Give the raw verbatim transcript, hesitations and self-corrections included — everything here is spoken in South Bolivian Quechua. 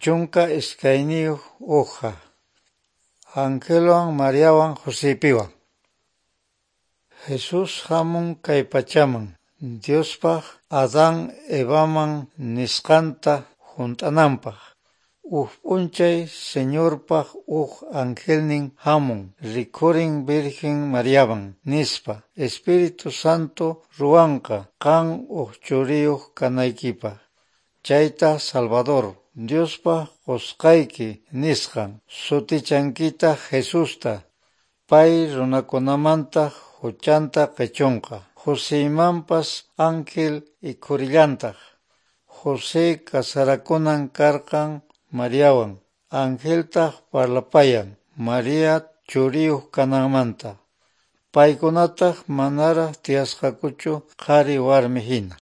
Chunka iskayniyuq hoja. Angelwan Mariawan Josepiwan. Jesús hamun kay pachaman Diospaq Adán Evaman nisqanta hunt'ananpaq. Uj p'unchay Señorpaq uj angelnin hamun rikhurin Virgen Mariaman nispa Espíritu Santo ruwanqa qan uj churiyuq kanaykipaq. Chaytaq Salvador Diospaq qusqayki nisqan sutichankitaq Jesusta. Pay runakunamanta huchanta qichunqa. Joseymanpas ángel ikhurillantaq. José kasarakunan karqan Mariawan, angeltaq parlapayan Maria churiyuq kananmanta. Paykunataq manaraq tiyasqakuchu qhari warmi hina.